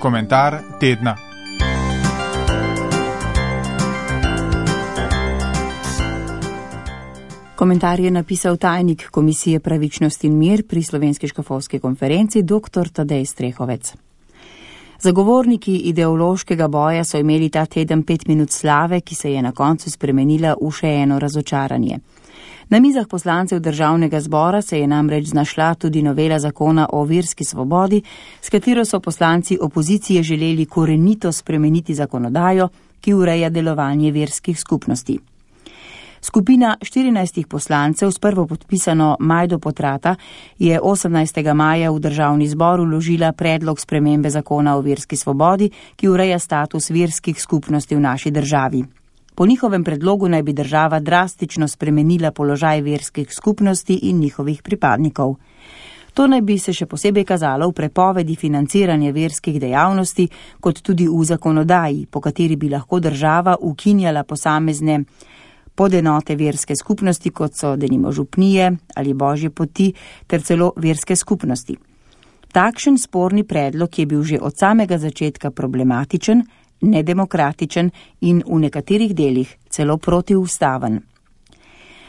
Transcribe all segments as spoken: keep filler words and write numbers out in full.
Komentar tedna. Komentar je napisal tajnik Komisije Pravičnost in mir pri Slovenski škofovski konferenci dr. Tadej Strehovec. Zagovorniki ideološkega boja so imeli ta teden pet minut slave, ki se je na koncu spremenila v še eno razočaranje. Na mizah poslancev državnega zbora se je namreč znašla tudi novela zakona o verski svobodi, s katero so poslanci opozicije želeli korenito spremeniti zakonodajo, ki ureja delovanje verskih skupnosti. Skupina štirinajstih poslancev s prvo podpisano Majdo Potrata je osemnajstega maja v državni zbor vložila predlog spremembe zakona o verski svobodi, ki ureja status verskih skupnosti v naši državi. Po njihovem predlogu naj bi država drastično spremenila položaj verskih skupnosti in njihovih pripadnikov. To naj bi se še posebej kazalo v prepovedi financiranja verskih dejavnosti, kot tudi v zakonodaji, po kateri bi lahko država ukinjala posamezne podenote verske skupnosti, kot so denimo župnije ali božje poti, ter celo verske skupnosti. Takšen sporni predlog je bil že od samega začetka problematičen, nedemokratičen in v nekaterih delih celo protiustaven.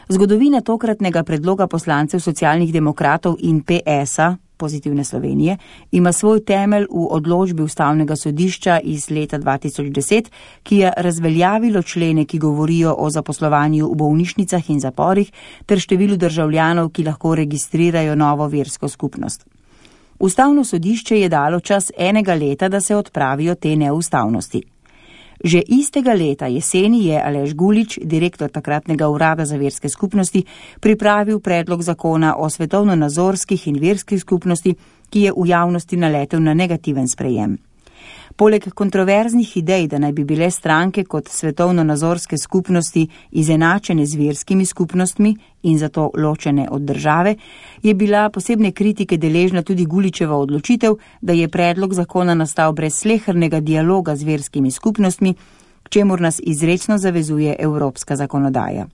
Zgodovina tokratnega predloga poslancev socialnih demokratov in P S-a, Pozitivne Slovenije, ima svoj temelj v odločbi Ustavnega sodišča iz leta dva tisoč deset, ki je razveljavilo člene, ki govorijo o zaposlovanju v bolnišnicah in zaporih ter številu državljanov, ki lahko registrirajo novo versko skupnost. Ustavno sodišče je dalo čas enega leta, da se odpravijo te neustavnosti. Že istega leta jeseni je Aleš Gulič, direktor takratnega urada za verske skupnosti, pripravil predlog zakona o svetovno-nazorskih in verskih skupnosti, ki je v javnosti naletel na negativen sprejem. Poleg kontroverznih idej, da naj bi bile stranke kot svetovno-nazorske skupnosti izenačene z verskimi skupnostmi in zato ločene od države, je bila posebne kritike deležna tudi Guličeva odločitev, da je predlog zakona nastal brez slehernega dialoga z verskimi skupnostmi, k čemur nas izrecno zavezuje evropska zakonodaja.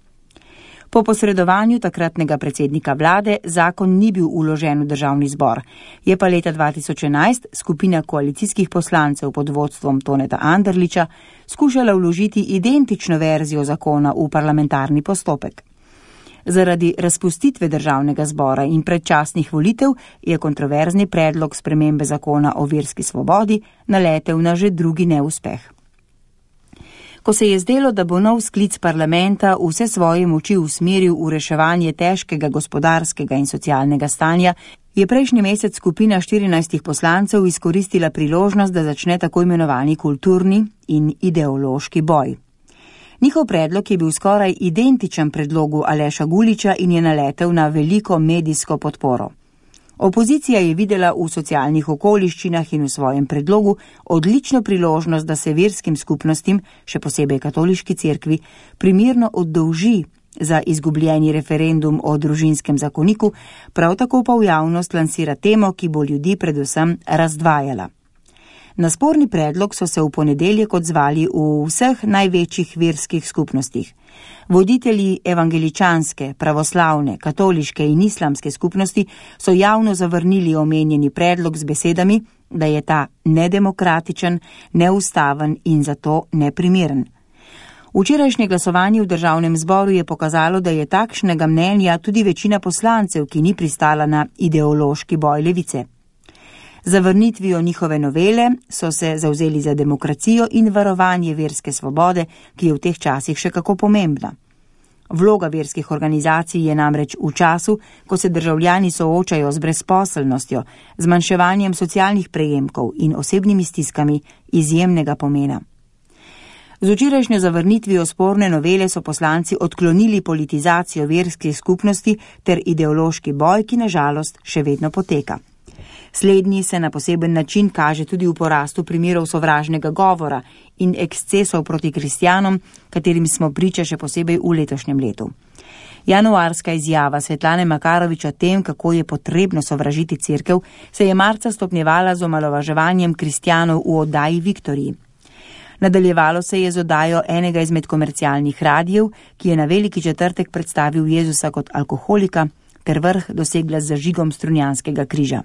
Po posredovanju takratnega predsednika vlade zakon ni bil vložen v državni zbor, je pa leta dva tisoč enajst skupina koalicijskih poslancev pod vodstvom Toneta Anderliča skušala vložiti identično verzijo zakona v parlamentarni postopek. Zaradi razpustitve državnega zbora in predčasnih volitev je kontroverzni predlog spremembe zakona o verski svobodi naletel na že drugi neuspeh. Ko se je zdelo, da bo nov sklic parlamenta vse svoje moči usmeril v reševanje težkega gospodarskega in socialnega stanja, je prejšnji mesec skupina štirinajstih poslancev izkoristila priložnost, da začne tako imenovani kulturni in ideološki boj. Njihov predlog je bil skoraj identičen predlogu Aleša Guliča in je naletel na veliko medijsko podporo. Opozicija je videla v socialnih okoliščinah in v svojem predlogu odlično priložnost, da se verskim skupnostim, še posebej katoliški cerkvi, primerno oddolži za izgubljeni referendum o družinskem zakoniku, prav tako pa v javnost lansira temo, ki bo ljudi predvsem razdvajala. Na sporni predlog so se v ponedeljek odzvali v vseh največjih verskih skupnostih. Voditelji evangeličanske, pravoslavne, katoliške in islamske skupnosti so javno zavrnili omenjeni predlog z besedami, da je ta nedemokratičen, neustaven in zato neprimeren. Včerajšnje glasovanje v državnem zboru je pokazalo, da je takšnega mnenja tudi večina poslancev, ki ni pristala na ideološki boj levice. Zavrnitvijo njihove novele so se zavzeli za demokracijo in varovanje verske svobode, ki je v teh časih še kako pomembna. Vloga verskih organizacij je namreč v času, ko se državljani soočajo z brezposelnostjo, zmanjševanjem socialnih prejemkov in osebnimi stiskami, izjemnega pomena. Z včerajšnjo zavrnitvijo sporne novele so poslanci odklonili politizacijo verskih skupnosti ter ideološki boj, ki na žalost še vedno poteka. Slednji se na poseben način kaže tudi v porastu primerov sovražnega govora in ekscesov proti kristjanom, katerim smo priča še posebej v letošnjem letu. Januarska izjava Svetlane Makarovič o tem, kako je potrebno sovražiti cerkev, se je marca stopnjevala z omalovaževanjem kristjanov v oddaji Viktoriji. Nadaljevalo se je z oddajo enega izmed komercialnih radijev, ki je na veliki četrtek predstavil Jezusa kot alkoholika, ter vrh dosegla z zažigom strunjanskega križa.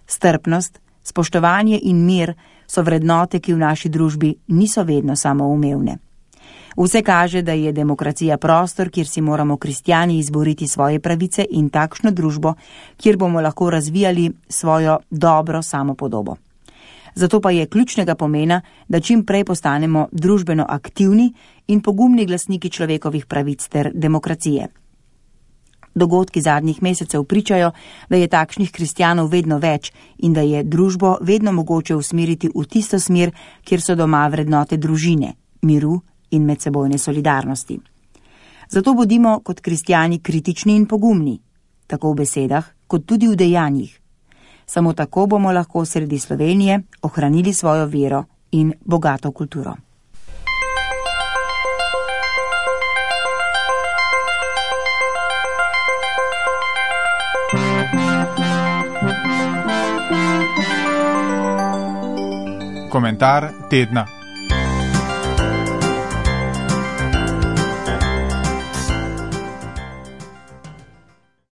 Strpnost, spoštovanje in mir so vrednote, ki v naši družbi niso vedno samoumevne. Vse kaže, da je demokracija prostor, kjer si moramo kristjani izboriti svoje pravice in takšno družbo, kjer bomo lahko razvijali svojo dobro samopodobo. Zato pa je ključnega pomena, da čim prej postanemo družbeno aktivni in pogumni glasniki človekovih pravic ter demokracije. Dogodki zadnjih mesecev pričajo, da je takšnih kristjanov vedno več in da je družbo vedno mogoče usmeriti v tisto smer, kjer so doma vrednote družine, miru in medsebojne solidarnosti. Zato bodimo kot kristjani kritični in pogumni, tako v besedah, kot tudi v dejanjih. Samo tako bomo lahko sredi Slovenije ohranili svojo vero in bogato kulturo. Komentar tedna.